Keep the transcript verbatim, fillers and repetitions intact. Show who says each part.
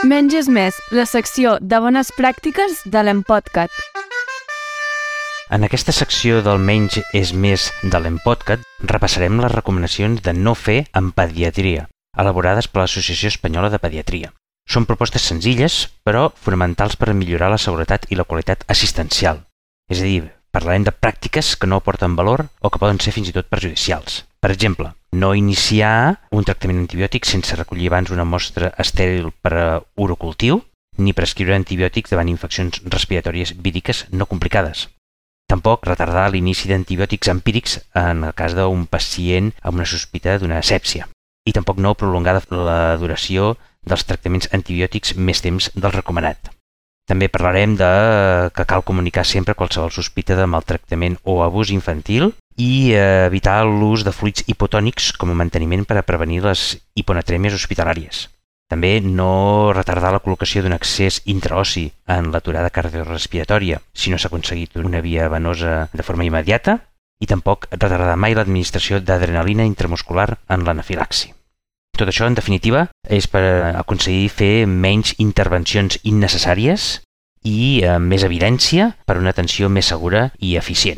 Speaker 1: Menys és més, la secció de bones pràctiques de l'Empodcat.
Speaker 2: En aquesta secció del Menys és més de l'Empodcat repassarem les recomanacions de no fer en pediatria, elaborades per l'Associació Espanyola de Pediatria. Són propostes senzilles, però fonamentals per millorar la seguretat i la qualitat assistencial. És a dir, parlarem de pràctiques que no aporten valor o que poden ser fins i tot perjudicials. Per exemple, no iniciar un tractament antibiòtic sense recollir abans una mostra estèril per a urocultiu, ni prescriure antibiòtics davant infeccions respiratòries víriques no complicades. Tampoc retardar l'inici d'antibiòtics empírics en el cas d'un pacient amb una sospita d'una asèpsia. I tampoc no prolongar la duració dels tractaments antibiòtics més temps del recomanat. També parlarem de que cal comunicar sempre qualsevol sospita de maltractament o abús infantil i evitar l'ús de fluids hipotònics com a manteniment per a prevenir les hiponatrèmies hospitalàries. També no retardar la col·locació d'un accés intraossi en l'aturada cardiorespiratòria si no s'ha aconseguit una via venosa de forma immediata i tampoc retardar mai l'administració d'adrenalina intramuscular en l'anafilaxi. Tot això, en definitiva, és per aconseguir fer menys intervencions innecessàries i amb més evidència per a una atenció més segura i eficient.